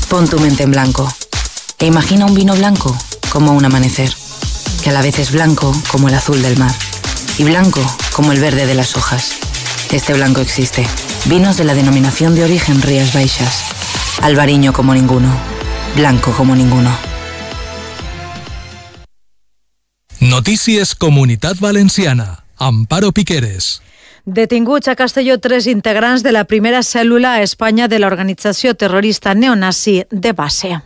Pon tu mente en blanco e imagina un vino blanco como un amanecer, que a la vez es blanco como el azul del mar y blanco como el verde de las hojas. Este blanco existe. Vinos de la denominación de origen Rías Baixas. Albariño como ninguno. Blanco como ninguno. Notícies Comunitat Valenciana. Amparo Piqueres. Detinguts a Castelló 3 integrants de la primera cèl·lula a Espanya de l'organització terrorista neonazi de base.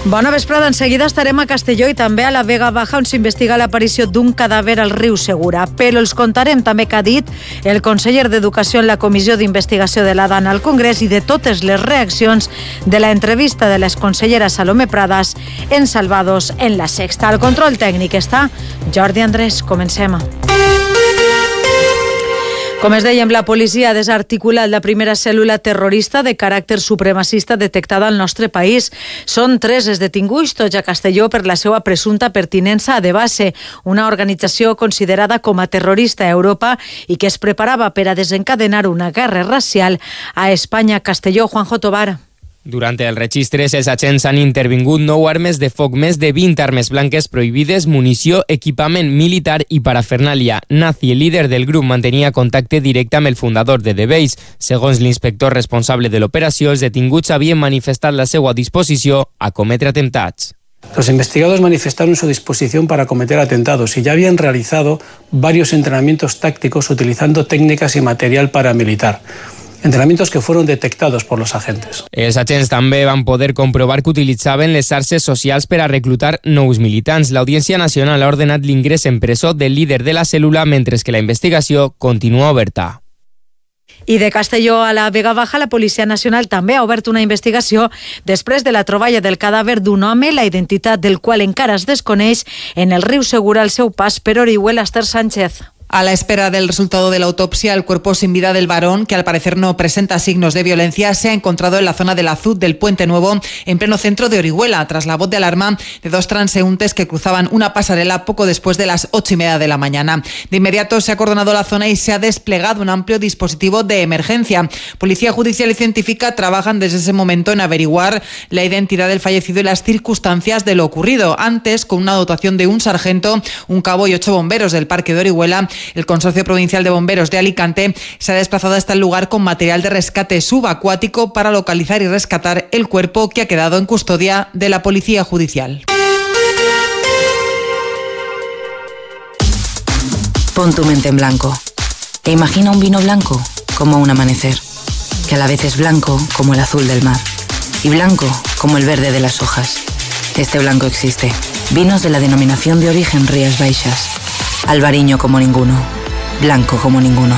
Bona vesprada, en seguida estarem a Castelló i també a la Vega Baja, on s'investiga l'aparició d'un cadàver al riu Segura. Però els contarem també què ha dit el conseller d'Educació en la Comissió d'Investigació de la DAN al Congrés i de totes les reaccions de la entrevista de l'exconsellera Salomé Pradas en Salvados en la Sexta. Al control tècnic està Jordi Andrés. Comencem. Com es dèiem, la policia ha desarticulat la primera cèl·lula terrorista de caràcter supremacista detectada al nostre país. Són 3 els detinguts, tots a Castelló, per la seva presumpta pertinença a DeBase, una organització considerada com a terrorista a Europa i que es preparava per a desencadenar una guerra racial a Espanya. Castelló, Juanjo Tobar. Durant els registres, els agents han intervingut 9 armes de foc, més de 20 armes blanques prohibides, munició, equipament militar i parafernàlia. Nazi, el líder del grup, mantenia contacte directe amb el fundador de DeBase. Segons l'inspector responsable de l'operació, els detinguts havien manifestat la seva disposició a cometre atemptats. Los investigados manifestaron su disposición para cometer atentados y ya habían realizado varios entrenamientos tácticos utilizando técnicas y material paramilitar. Entrenamientos que fueron detectados por los agentes. Els agents també van poder comprovar que utilitzaven les xarxes socials per a reclutar nous militants. L'Audiència Nacional ha ordenat l'ingrés en presó del líder de la cèl·lula, mentre que la investigació continua oberta. I de Castelló a la Vega Baja, la Policia Nacional també ha obert una investigació després de la troballa del cadàver d'un home, la identitat del qual encara es desconeix, en el riu Segura al seu pas per Orihuela. Esther Sánchez. A la espera del resultado de la autopsia, el cuerpo sin vida del varón, que al parecer no presenta signos de violencia, se ha encontrado en la zona del Azud del Puente Nuevo, en pleno centro de Orihuela, tras la voz de alarma de 2 transeúntes que cruzaban una pasarela poco después de las 8:30 de la mañana. De inmediato se ha acordonado la zona y se ha desplegado un amplio dispositivo de emergencia. Policía Judicial y Científica trabajan desde ese momento en averiguar la identidad del fallecido y las circunstancias de lo ocurrido. Antes, con una dotación de un sargento, un cabo y 8 bomberos del Parque de Orihuela, el Consorcio Provincial de Bomberos de Alicante se ha desplazado hasta el lugar con material de rescate subacuático para localizar y rescatar el cuerpo, que ha quedado en custodia de la Policía Judicial. Pon tu mente en blanco e imagina un vino blanco como un amanecer, que a la vez es blanco como el azul del mar y blanco como el verde de las hojas. Este blanco existe. Vinos de la denominación de origen Rías Baixas. Albariño como ninguno. Blanco como ninguno.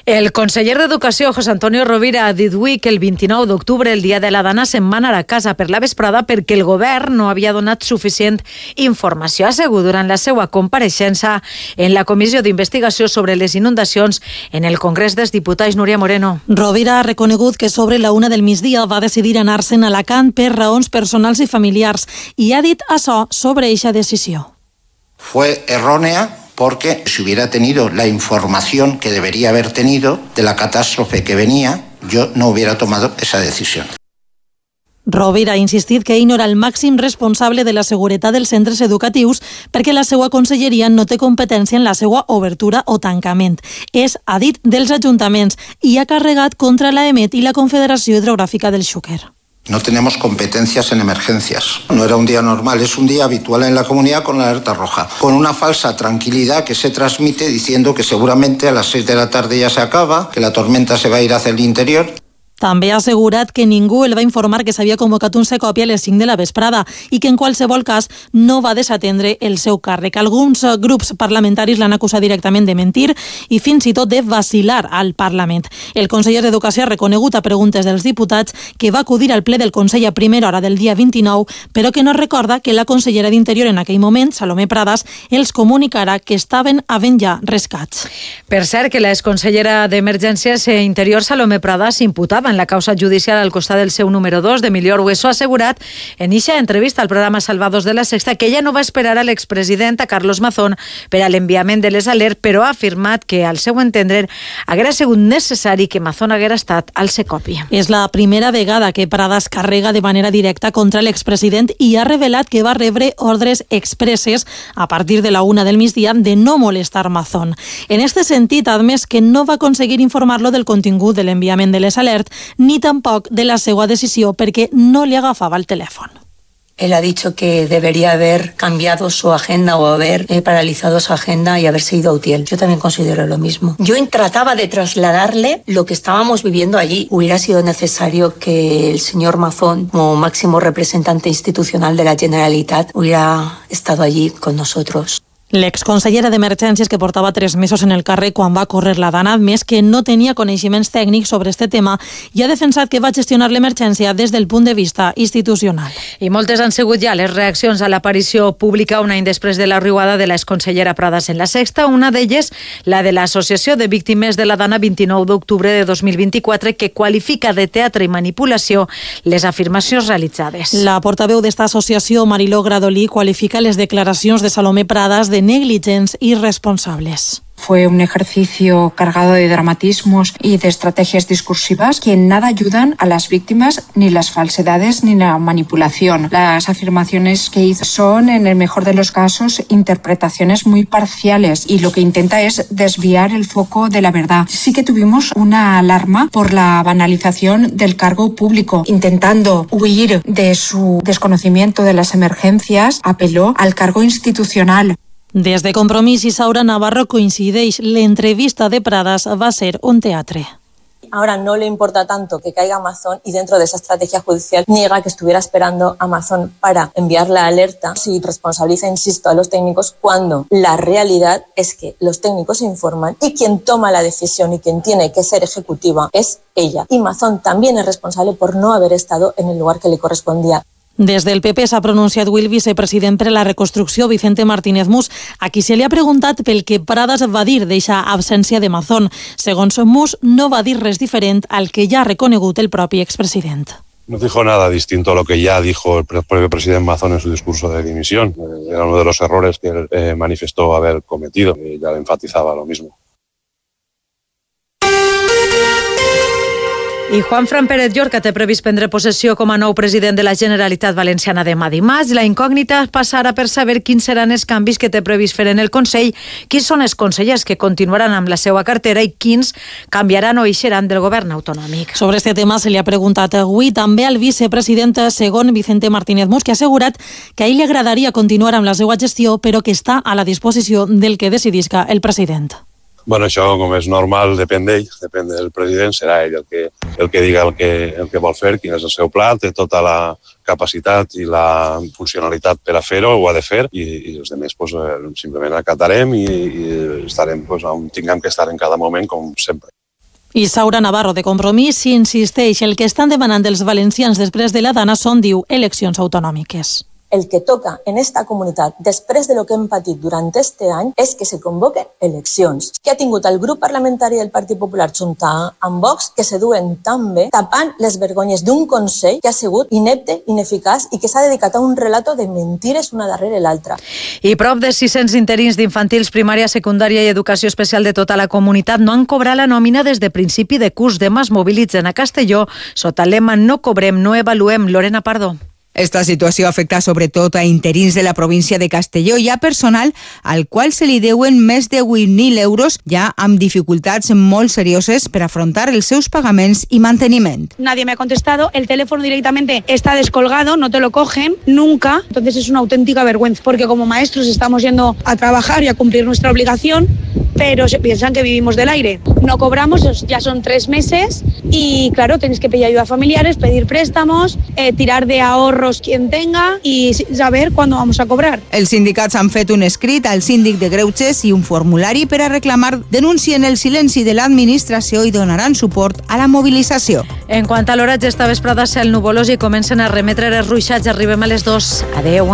El conseller d'Educació, José Antonio Rovira, ha dit avui que el 29 d'octubre, el dia de la dona, se'n va anar a casa per la vesprada perquè el govern no havia donat suficient informació. Ha assegut durant la seva compareixença en la Comissió d'Investigació sobre les inundacions en el Congrés dels Diputats. Núria Moreno. Rovira ha reconegut que sobre la 1 del migdia va decidir anar-se'n a Alacant per raons personals i familiars i ha dit això sobre eixa decisió. Fue errónea porque si hubiera tenido la información que debería haber tenido de la catástrofe que venía, yo no hubiera tomado esa decisión. Rovira ha insistit que ell no era el màxim responsable de la seguretat dels centres educatius perquè la seva conselleria no té competència en la seva obertura o tancament. És, ha dit, dels ajuntaments i ha carregat contra l'AEMET i la Confederació Hidrogràfica del Xúquer. No tenemos competencias en emergencias. No era un día normal, es un día habitual en la comunidad con la alerta roja. Con una falsa tranquilidad que se transmite diciendo que seguramente a las 6 de la tarde ya se acaba, que la tormenta se va a ir hacia el interior. També ha assegurat que ningú el va informar que s'havia convocat un secopi a les 5 de la vesprada i que en qualsevol cas no va desatendre el seu càrrec. Alguns grups parlamentaris l'han acusat directament de mentir i fins i tot de vacilar al Parlament. El conseller d'Educació ha reconegut a preguntes dels diputats que va acudir al ple del Consell a primera hora del dia 29, però que no recorda que la consellera d'Interior en aquell moment, Salomé Pradas, els comunicarà que estaven havent ja rescats. Per cert, que l'exconsellera d'Emergències e Interior, Salomé Pradas, imputava en la causa judicial al costat del seu número 2, d'Emilio Argueso, ha assegurat en eixa entrevista al programa Salvados de la Sexta que ella no va esperar a l'expresident, a Carlos Mazón, per a l'enviament de les alertes, però ha afirmat que, al seu entendre, haguera sigut necessari que Mazón haguera estat al Secopi. És la primera vegada que Pradas carrega de manera directa contra l'expresident i ha revelat que va rebre ordres expresses a partir de la 1 del migdia de no molestar Mazón. En este sentit, ha admès que no va aconseguir informar-lo del contingut de l'enviament de les alertes ni tampoc de la seva decisió perquè no li agafava el telèfon. Él ha dicho que debería haber cambiado su agenda o haber paralizado su agenda y haberse ido a Utiel. Yo también considero lo mismo. Yo trataba de trasladarle lo que estábamos viviendo allí. Hubiera sido necesario que el señor Mazón, como máximo representante institucional de la Generalitat, hubiera estado allí con nosotros. L'exconsellera d'Emergències, que portava 3 mesos en el càrrec quan va córrer la Dana, ha admès que no tenia coneixements tècnics sobre este tema i ha defensat que va gestionar l'emergència des del punt de vista institucional. I moltes han sigut ja les reaccions a l'aparició pública un any després de la riuada de l'exconsellera Pradas en la Sexta, una d'elles la de l'Associació de Víctimes de la Dana 29 d'octubre de 2024, que qualifica de teatre i manipulació les afirmacions realitzades. La portaveu d'esta associació, Mariló Gradolí, qualifica les declaracions de Salomé Pradas de negligents y irresponsables. Fue un ejercicio cargado de dramatismos y de estrategias discursivas que en nada ayudan a las víctimas, ni las falsedades ni la manipulación. Las afirmaciones que hizo son, en el mejor de los casos, interpretaciones muy parciales y lo que intenta es desviar el foco de la verdad. Sí que tuvimos una alarma por la banalización del cargo público. Intentando huir de su desconocimiento de las emergencias, apeló al cargo institucional. Des de Compromís, Isaura Navarro coincideix, l'entrevista de Pradas va ser un teatre. Ahora no le importa tanto que caiga Amazon y dentro de esa estrategia judicial niega que estuviera esperando a Amazon para enviar la alerta. Si responsabiliza, insisto, a los técnicos cuando la realidad es que los técnicos informan y quien toma la decisión y quien tiene que ser ejecutiva es ella. Y Amazon también es responsable por no haber estado en el lugar que le correspondía. Des del PP s'ha pronunciat avui el vicepresident per a la reconstrucció, Vicente Martínez Mus, a qui se li ha preguntat pel que Pradas va dir d'eixa absència de Mazón. Segons Mus, no va dir res diferent al que ja ha reconegut el propi expresident. No dijo nada distinto a lo que ya dijo el propio presidente Mazón en su discurso de dimisión. Era uno de los errores que él manifestó haber cometido. Ya le enfatizaba lo mismo. I Juanfran Pérez Llorca té previst prendre possessió com a nou president de la Generalitat Valenciana demà dimarts. La incògnita passarà per saber quins seran els canvis que té previst fer en el Consell, quins són els consellers que continuaran amb la seva cartera i quins canviaran o eixeran del govern autonòmic. Sobre este tema se li ha preguntat avui també al vicepresident segon Vicente Martínez Mus, que ha assegurat que a ell li agradaria continuar amb la seva gestió, però que està a la disposició del que decidisca el president. Bueno, això, com és normal, depèn d'ell, depèn del president, serà ell el que diga el que vol fer, quin és el seu pla, té tota la capacitat i la funcionalitat per a fer-ho, ho ha de fer, i els altres pues, simplement acatarem i estarem pues, on tinguem que estar en cada moment, com sempre. Isaura Navarro, de Compromís, insisteix, el que estan demanant els valencians després de la Dana són, diu, eleccions autonòmiques. El que toca en esta comunitat, després de lo que hem patit durant este any, és que se convoquen eleccions. Que ha tingut el grup parlamentari del Partit Popular junt amb Vox, que se duen tan bé, tapant les vergonyes d'un Consell que ha sigut inepte, ineficaç i que s'ha dedicat a un relato de mentires una darrere l'altra. I prop de 600 interins d'infantils, primària, secundària i educació especial de tota la comunitat no han cobrat la nòmina des de principi de curs. Demà es mobilitzen a Castelló sota el lema No cobrem, no avaluem. Lorena Pardo. Esta situació afecta sobretot a interins de la província de Castelló i a personal al qual se li deuen més de 8.000 euros ja amb dificultats molt serioses per afrontar els seus pagaments i manteniment. Nadie me ha contestado, el teléfono directamente está descolgado, no te lo cogen nunca, entonces es una auténtica vergüenza, porque como maestros estamos yendo a trabajar y a cumplir nuestra obligación, pero se piensan que vivimos del aire. No cobramos, ya son 3 meses y claro, tenéis que pedir ayuda a familiares, pedir préstamos, tirar de ahorros quien tenga y saber cuándo vamos a cobrar. Els sindicats han fet un escrit al síndic de Greuges i un formulari per a reclamar, denuncien el silenci de l'administració i donaran suport a la mobilització. En quant a l'horatge, esta vesprada cel nuvolós i comencen a remetre els ruixats. Arribem a les 2. Adeu.